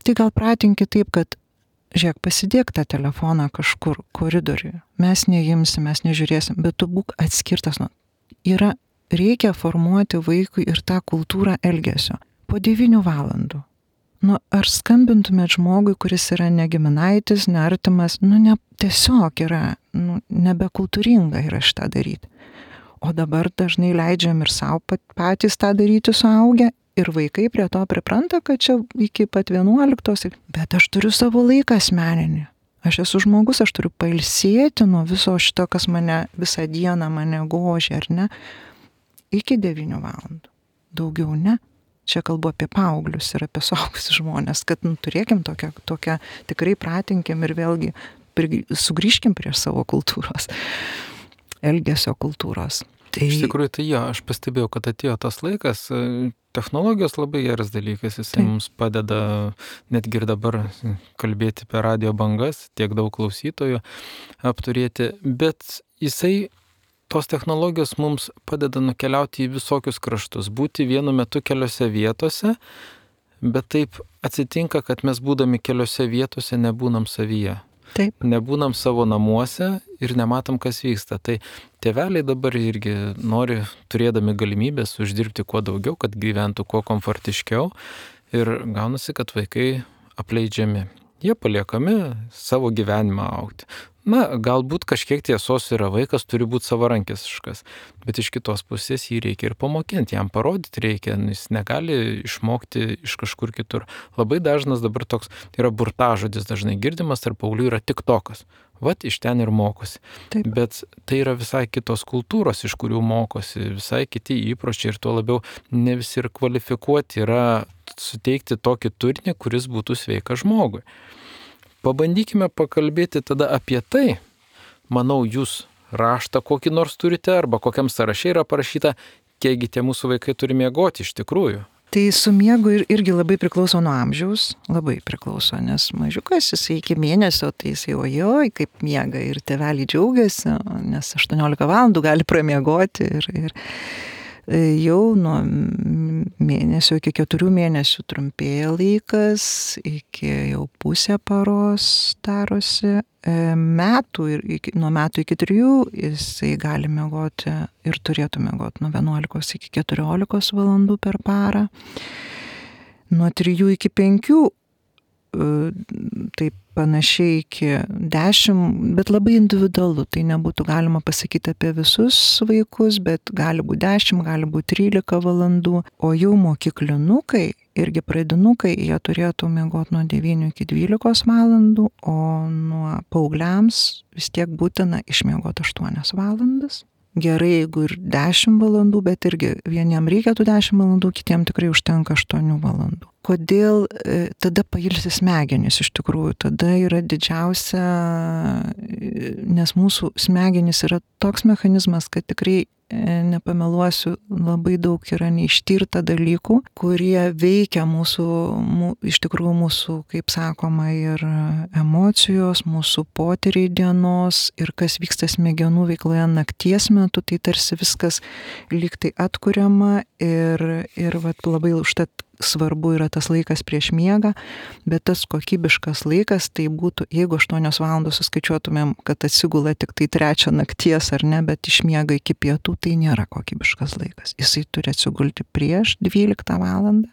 Tai gal pratinkit taip, kad žiūrėk, pasidėk tą telefoną kažkur koridoriuje. Mes neimsim, mes nežiūrėsim, bet tu būk atskirtas nuo. Yra, reikia formuoti vaikui ir tą kultūrą elgesio. Po devynių valandų Nu, ar skambintumėt žmogui, kuris yra ne giminaitis, ne artimas, nu, ne, tiesiog yra, nu, nebekultūringa yra šitą daryti. O dabar dažnai leidžiam ir savo patys tą daryti suaugę, ir vaikai prie to pripranta, kad čia iki pat vienuoliktos, bet aš turiu savo laiką asmeninį. Aš esu žmogus, aš turiu pailsėti nuo viso šito, kas mane visą dieną mane gožia, ar ne, iki devynių valandų. Daugiau ne. Čia kalbu apie paauglius ir apie suaugusius žmonės, kad nu, turėkim tokią, tokią, tikrai pratinkim ir vėlgi sugrįžkim prie savo kultūros, elgesio kultūros. Tai... Iš tikrųjų, tai jo, aš pastebėjau, kad atėjo tas laikas, technologijos labai geras dalykas, jis mums padeda netgi ir dabar kalbėti per radio bangas, tiek daug klausytojų apturėti, bet jisai tos technologijos mums padeda nukeliauti į visokius kraštus, būti vienu metu keliose vietose, bet taip atsitinka, kad mes būdami keliose vietose nebūnam savyje. Taip. Nebūnam savo namuose ir nematom, kas vyksta. Tai tėveliai dabar irgi nori, turėdami galimybės, uždirbti kuo daugiau, kad gyventų kuo komfortiškiau ir gaunasi, kad vaikai apleidžiami. Jie paliekami savo gyvenimą augti. Na, galbūt kažkiek tiesos yra, vaikas turi būti savarankiškas, bet iš kitos pusės jį reikia ir pamokinti, jam parodyti reikia, jis negali išmokti iš kažkur kitur. Labai dažnas dabar toks yra burtažodis, dažnai girdimas tarp paauglių yra tiktokas. Vat iš ten ir mokosi. Taip. Bet tai yra visai kitos kultūros, iš kurių mokosi, visai kiti įpročiai ir tuo labiau ne visi ir kvalifikuoti yra suteikti tokį turinį, kuris būtų sveikas žmogui. Pabandykime pakalbėti tada apie tai. Manau, jūs raštą kokį nors turite arba kokiam sąraše yra parašyta, kiekgi tie mūsų vaikai turi miegoti iš tikrųjų. Tai su miegu ir, irgi labai priklauso nuo amžiaus, labai priklauso, nes mažiukas jisai iki mėnesio, tai jisai ojoj, kaip miega ir tėveliai džiaugiasi, nes aštuoniolika valandų gali pramiegoti ir, ir jau nuo mėnesio iki keturių mėnesių trumpėja laikas, iki jau pusę paros darosi, metų ir iki, nuo metų iki trijų jisai gali miegoti ir turėtų miegoti nuo vienuolikos iki keturiolikos valandų per parą. Nuo trijų iki penkių, taip panašiai iki dešimt, bet labai individualu, tai nebūtų galima pasakyti apie visus vaikus, bet gali būti dešimt, gali būti trylika valandų, o jau mokyklinukai, irgi pradinukai, jie turėtų miegoti nuo devynių iki dvylikos valandų, o nuo paaugliams vis tiek būtina išmiegoti aštuonias valandas. Gerai, jeigu ir dešimt valandų, bet irgi vieniem reikia tų dešimt valandų, kitiem tikrai užtenka aštuonių valandų. Kodėl e, tada pailsi smegenys iš tikrųjų, tada yra didžiausia, nes mūsų smegenys yra toks mechanizmas, kad tikrai nepameluosiu, labai daug yra neištirta dalykų, kurie veikia mūsų, mū, iš tikrųjų mūsų, kaip sakoma, ir emocijos, mūsų potyriai dienos ir kas vyksta smegenų veikloje nakties metu, tai tarsi viskas lyg tai atkuriama ir, ir vat, labai užtat svarbu yra tas laikas prieš miegą, bet tas kokybiškas laikas tai būtų, jeigu aštuonios valandos suskaičiuotumėm, kad atsigula tik tai trečią nakties ar ne, bet išmiega iki pietų, tai nėra kokybiškas laikas. Jisai turi atsigulti prieš dvyliktą valandą.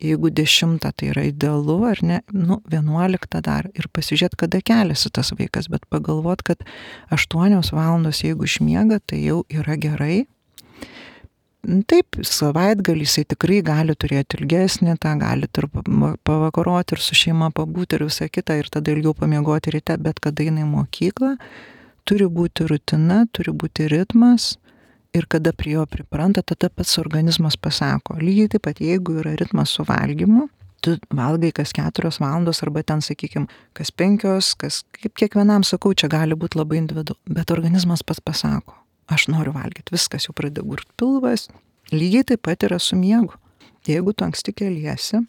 Jeigu dešimtą tai yra idealu, ar ne, nu, vienuoliktą dar ir pasižiūrėt, kada keliasi tas vaikas, bet pagalvot, kad aštuonios valandos, jeigu išmiega, tai jau yra gerai. Taip, savaitgalį jisai tikrai gali turėti ilgesnį, tą gali ir pavakaroti ir su šeima pabūti ir visą kitą ir tada ilgiau pamiegoti ryte, bet kada eina į mokyklą, turi būti rutina, turi būti ritmas ir kada prie jo pripranta, tada pats organizmas pasako. Lygiai taip pat, jeigu yra ritmas su valgymu, tu valgai kas keturios valandos arba ten, sakykime, kas penkios, kas kaip kiekvienam sakau, čia gali būti labai individualu, bet organizmas pats pasako. Aš noriu valgyti, viskas jau pradeda gurt pilvas, lygiai taip pat yra su miegu. Jeigu tu anksti keliesi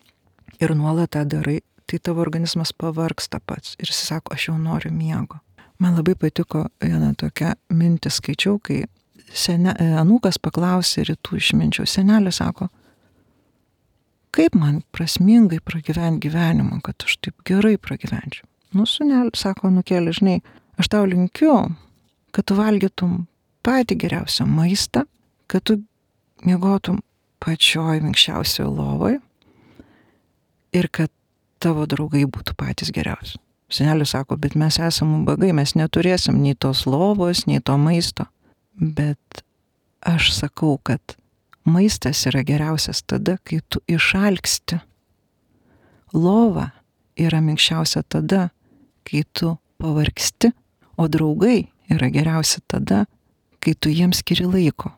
ir nuolat tą darai, tai tavo organizmas pavargsta pats ir jis sako, aš jau noriu miego. Man labai patiko viena tokia mintis skaičiau, kai sene, anūkas paklausė rytų išminčių, senelė sako, kaip man prasmingai pragyventi gyvenimą, kad aš taip gerai pragyvenčiau. Nu, sūneli, sako, nukėlė, žinai, aš tau linkiu, kad tu valgytum patį geriausią maistą, kad tu miegotum pačioj minkščiausioje lovoje ir kad tavo draugai būtų patys geriausi. Senelis sako, bet mes esame ubagai, mes neturėsim nei tos lovos, nei to maisto. Bet aš sakau, kad maistas yra geriausias tada, kai tu išalksti. Lova yra minkščiausia tada, kai tu pavargsti, o draugai yra geriausi tada, kai tu jiems skiri laiko,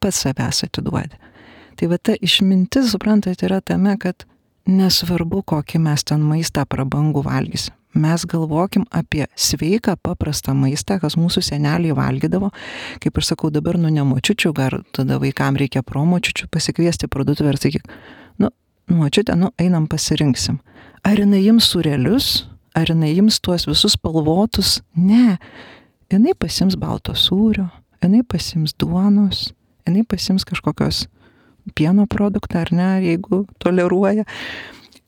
pats savęs atiduodi. Tai va ta išmintis, suprantat, yra tame, kad nesvarbu, kokį mes ten maistą prabangų valgysim. Mes galvokim apie sveiką, paprastą maistą, kas mūsų seneliai valgydavo. Kaip aš sakau, dabar nu nemočiučių, gal tada vaikam reikia promočiučių pasikviesti parduotuvę ir sakyk, nu, močiutė, nu, einam pasirinksim. Ar jinai jums surelius, ar jinai jums tuos visus spalvotus? Ne. Jinai pasims balto sūrio, jinai pasims duonos, jinai pasims kažkokios pieno produktą, ar ne, jeigu toleruoja.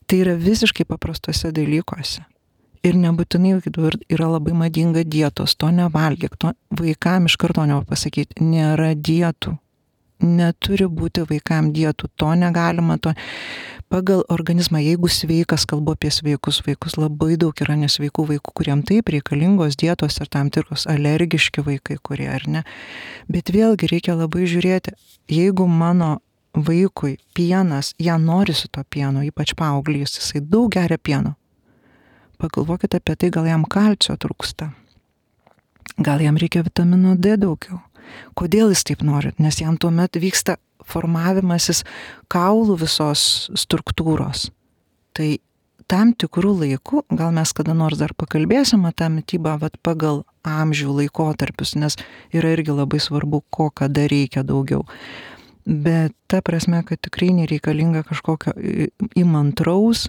Tai yra visiškai paprastuose dalykuose. Ir nebūtinai yra labai madinga dietos, to nevalgyk, to vaikam iš karto nepasakyti, nėra dietų. Neturi būti vaikam dietų, to negalima, to pagal organizmą, jeigu sveikas, kalbu apie sveikus vaikus, labai daug yra nesveikų vaikų, kuriem taip reikalingos dietos ir tam tikros alergiški vaikai, kurie ar ne. Bet vėlgi reikia labai žiūrėti, jeigu mano vaikui pienas, ją norisi to pieno, ypač paauglys, jisai daug geria pieno. Pagalvokite apie tai, gal jam kalcio trūksta, gal jam reikia vitamino D daugiau. Kodėl jis taip nori? Nes jam tuomet vyksta formavimasis kaulų visos struktūros. Tai tam tikrų laikų, gal mes kada nors dar pakalbėsim apie tą mitybą, vat pagal amžių laikotarpius, nes yra irgi labai svarbu, ko kada reikia daugiau. Bet ta prasme, kad tikrai nereikalinga kažkokio įmantraus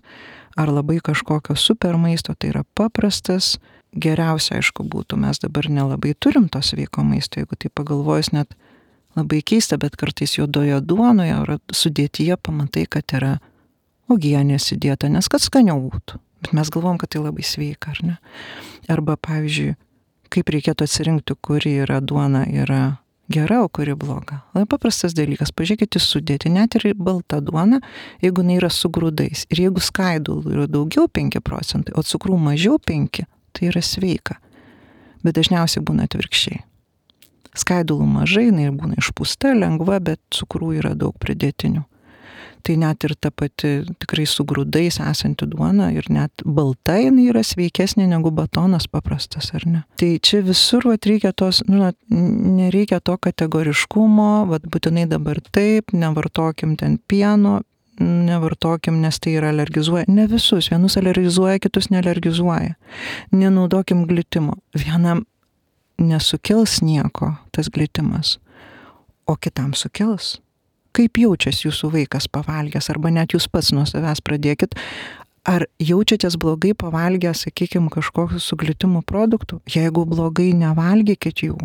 ar labai kažkokio super maisto, tai yra paprastas, geriausia, aišku, būtų, mes dabar nelabai turim to sveiko maisto, jeigu tai pagalvojus net labai keista, bet kartais juodoje duonoje ar sudėtyje pamatai, kad yra uogienės įdėta, nes kad skaniau būtų, bet mes galvom, kad tai labai sveika, ar ne? Arba, pavyzdžiui, kaip reikėtų atsirinkti, kuri yra duona yra gera, o kuri bloga. Labai paprastas dalykas, pažiūrėkite sudėti, net ir balta duona, jeigu jinai yra su grūdais, ir jeigu skaidulų yra daugiau penki procentai, o cukrų mažiau penki, tai yra sveika. Bet dažniausiai būna atvirkščiai. Skaidulų mažai, jinai būna išpūsta, lengva, bet cukrų yra daug pridėtinių. Tai net ir ta pati tikrai su grūdais esanti duona ir net balta jinai yra sveikesnė negu batonas paprastas, ar ne? Tai čia visur vat reikia tos, nu, nereikia to kategoriškumo, vat būtinai dabar taip, nevartokim ten pieno, nevartokim, nes tai yra alergizuoja. Ne visus, vienus alergizuoja, kitus nealergizuoja. Nenaudokim glitimo. Vienam nesukels nieko tas glitimas, o kitam sukels. Kaip jaučiasi jūsų vaikas pavalgęs, arba net jūs pats nuo savęs pradėkit, ar jaučiatės blogai pavalgę, sakykime, kažkokių su glitimu produktų? Jeigu blogai, nevalgykit jų.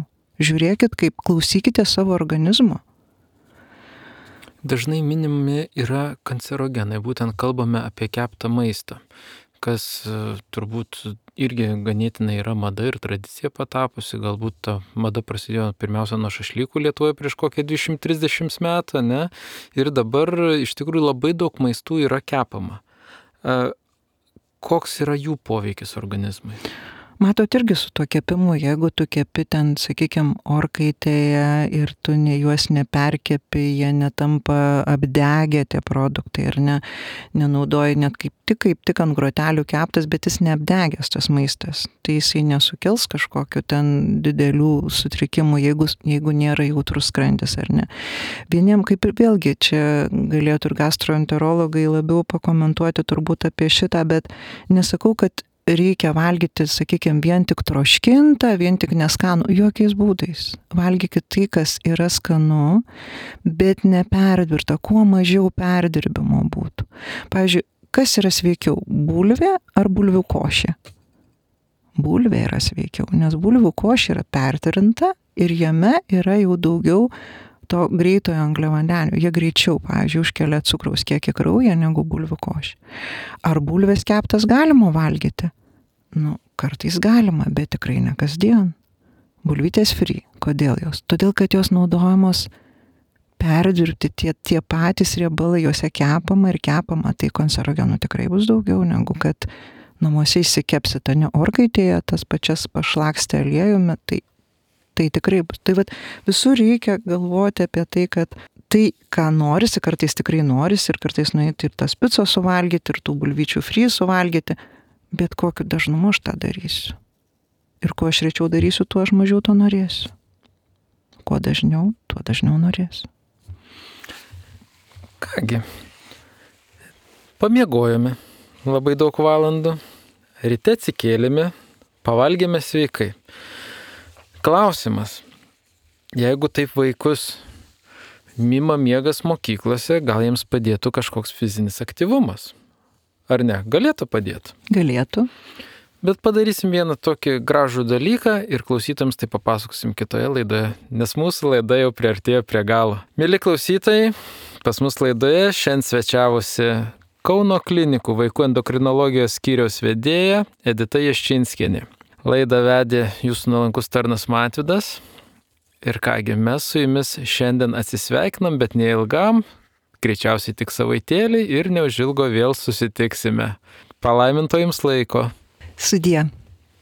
Žiūrėkit, kaip klausykite savo organizmo. Dažnai minimi yra kancerogenai, būtent kalbame apie keptą maistą, kas turbūt irgi ganėtinai yra mada ir tradicija patapusi, galbūt ta mada prasidėjo pirmiausia nuo šašlykų Lietuvoje prieš kokią dvidešimt trisdešimt metų, ne? Ir dabar iš tikrųjų labai daug maistų yra kepama. Koks yra jų poveikis organizmui? Matot, irgi su tuo kepimu, jeigu tu kepi ten, sakykime, orkaitėje ir tu ne, juos neperkepi, jie netampa apdegę tie produktai ir ne, nenaudoji net kaip tik, kaip tik ant grotelių keptas, bet jis neapdegęs tas maistas. Tai jisai nesukels kažkokiu ten didelių sutrikimų, jeigu, jeigu nėra jautrus skrandis ar ne. Vieniem kaip ir vėlgi, čia galėtų ir gastroenterologai labiau pakomentuoti turbūt apie šitą, bet nesakau, kad reikia valgyti, sakykime, vien tik troškintą, vien tik neskanų, jokiais būdais. Valgykit tai, kas yra skanu, bet neperdirbta, kuo mažiau perdirbimo būtų. Pavyzdžiui, kas yra sveikiau, bulvė ar bulvių košė? Bulvė yra sveikiau, nes bulvių košė yra pertirinta ir jame yra jau daugiau to greitojo angliavandenių. Jie greičiau, pavyzdžiui, užkelia cukraus kiekį kraują negu bulvių košė. Ar bulvės keptas galima valgyti? Nu, kartais galima, bet tikrai ne kasdien. Bulvytės free. Kodėl jos? Todėl, kad jos naudojamos perdirbti tie, tie patys riebalai, juose kepama ir kepama, tai kancerogenų tikrai bus daugiau negu kad namuose įsikepsite, ne orkaitėje tas pačias pašlakstę aliejumi, tai, tai tikrai bus. Tai vat, visur reikia galvoti apie tai, kad tai, ką norisi, kartais tikrai norisi ir kartais nueiti ir tas picos suvalgyti, ir tų bulvyčių fry suvalgyti, bet kokiu dažnumu aš tą darysiu. Ir kuo aš rečiau darysiu, tuo aš mažiau to norėsiu. Kuo dažniau, tuo dažniau norėsiu. Kągi, pamiegojome labai daug valandų, ryte atsikėlėme, pavalgėme sveikai. Klausimas, jeigu taip vaikus mima miegas mokyklose, gal jiems padėtų kažkoks fizinis aktyvumas? Ar ne? Galėtų padėti? Galėtų. Bet padarysim vieną tokį gražų dalyką ir klausytams tai papasakosim kitoje laidoje, nes mūsų laida jau priartėjo prie galo. Mieli klausytojai, pas mus laidoje šiandien svečiavosi Kauno klinikų vaikų endokrinologijos skyriaus vedėja Edita Jaščinskienė. Laidą vedė jūsų nuolankus tarnas Matvydas. Ir kągi, mes su jumis šiandien atsisveikinam, bet neilgam, greičiausiai tik savaitėlį ir neužilgo vėl susitiksime. Palaiminto jums laiko. Sudie.